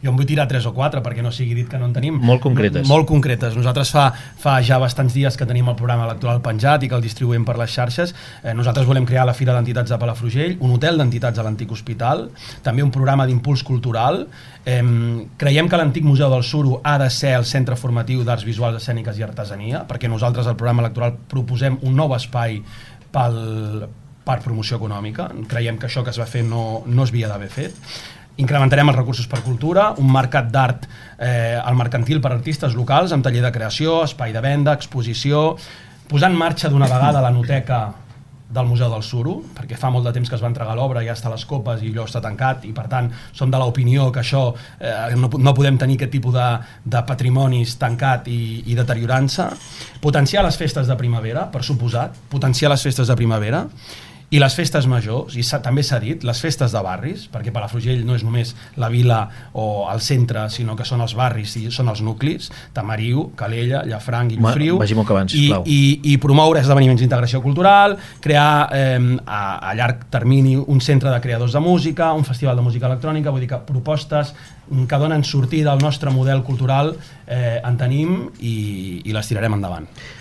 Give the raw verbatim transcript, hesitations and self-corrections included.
Jo en vull tirar tres o quatre, perquè no sigui dit que no en tenim. Molt concretes. Molt concretes. Nosaltres fa, fa ja bastants dies que tenim el programa electoral penjat i que el distribuïm per les xarxes. Eh, nosaltres volem crear la Fira d'Entitats de Palafrugell, un hotel d'entitats a l'antic hospital, també un programa d'impuls cultural. Eh, creiem que l'antic Museu del Suro ha de ser el centre formatiu d'arts visuals, escèniques i artesania, perquè nosaltres al programa electoral proposem un nou espai pel, per promoció econòmica. Creiem que això que es va fer no, no es havia d'haver fet. Incrementarem els recursos per cultura, un mercat d'art eh, al mercantil per artistes locals, amb taller de creació, espai de venda, exposició, posar en marxa d'una vegada la noteca del Museu del Suro, perquè fa molt de temps que es va entregar l'obra, ja està a les copes i allò està tancat, i per tant som de l'opinió que això eh, no, no podem tenir aquest tipus de, de patrimonis tancat i, i deteriorant-se. Potenciar les festes de primavera, per suposat, potenciar les festes de primavera, i les festes majors, i també s'ha dit, les festes de barris, perquè Palafrugell no és només la vila o el centre, sinó que són els barris i són els nuclis, Tamariu, Calella, Llafranc, Guillofriu, vagi molt que abans, i, i, i promoure esdeveniments d'integració cultural, crear eh, a, a llarg termini un centre de creadors de música, un festival de música electrònica, vull dir que propostes que donen sortida al nostre model cultural eh, en tenim i, i les tirarem endavant.